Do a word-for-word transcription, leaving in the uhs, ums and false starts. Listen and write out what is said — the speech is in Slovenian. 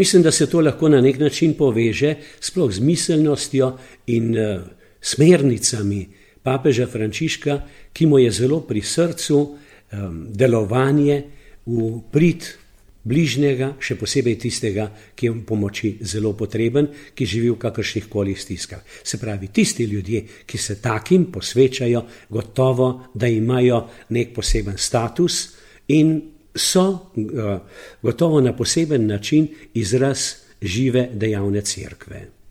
Mislim, da se to lahko na nek način poveže sploh z miselnostjo in uh, smernicami papeža Frančiška, ki mu je zelo pri srcu um, delovanje v prid bližnjega, še posebej tistega, ki je v pomoči zelo potreben, ki živi v kakršnih koli stiskah. Se pravi, tisti ljudje, ki se takim posvečajo, gotovo, da imajo nek poseben status in so uh, gotovo na poseben način izraz žive dejavne cerkve.